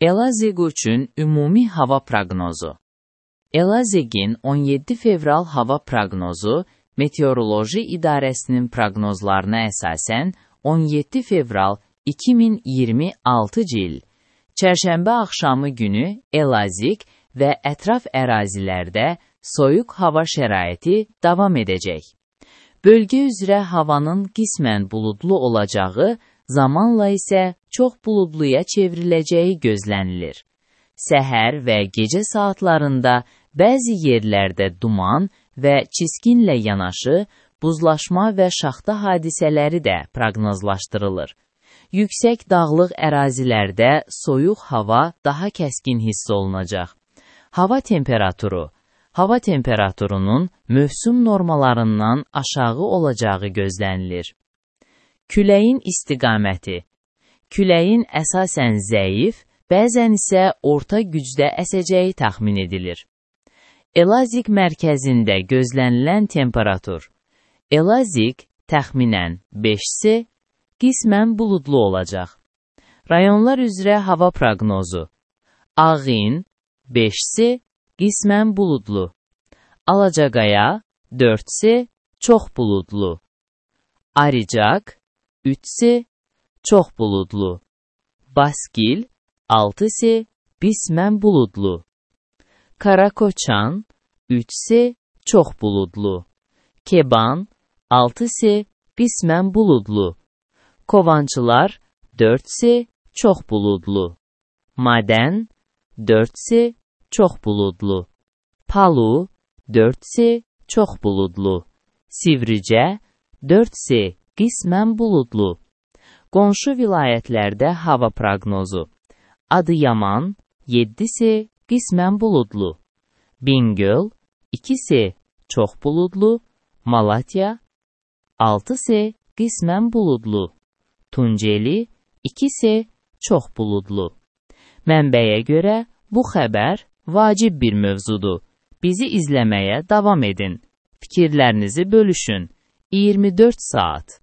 Elazığ üçün ümumi hava proqnozu. Elazığın 17 fevral hava proqnozu Meteoroloji İdarəsinin proqnozlarına əsasən 17 fevral 2026 il Çərşənbə axşamı günü Elazığ və ətraf ərazilərdə soyuq hava şəraiti davam edəcək. Bölgə üzrə havanın qismən buludlu olacağı, zamanla isə çox buludluya çevriləcəyi gözlənilir. Səhər və gecə saatlarında bəzi yerlərdə duman və çiskinlə yanaşı, buzlaşma və şaxta hadisələri də proqnozlaşdırılır. Yüksək dağlıq ərazilərdə soyuq hava daha kəskin hiss olunacaq. Hava temperaturunun mövsüm normalarından aşağı olacağı gözlənilir. Küləyin istiqaməti. Küləyin əsasən zəif, bəzən isə orta gücdə əsəcəyi təxmin edilir. Elazığ mərkəzində gözlənilən temperatur. Elazığ təxminən 5C, qismən buludlu olacaq. Rayonlar üzrə hava proqnozu. Ağin 5C, qismən buludlu. Alacaqaya 4C, çox buludlu. Aricaq 3C, çox buludlu. Baskil 6C, qismən buludlu. Karakoçan 3C, çox buludlu. Keban 6C, qismən buludlu. Kovançılar 4C, çox buludlu. Madən 4C, çox buludlu. Palu 4C, çox buludlu. Sivricə 4C, qismən buludlu. Qonşu vilayətlərdə hava proqnozu. Adıyaman 7C, qismən buludlu. Bingöl 2C, çox buludlu. Malatya 6C, qismən buludlu. Tunceli 2C, çox buludlu. Mənbəyə görə bu xəbər vacib bir mövzudur. Bizi izləməyə davam edin. Fikirlərinizi bölüşün. 24 saat.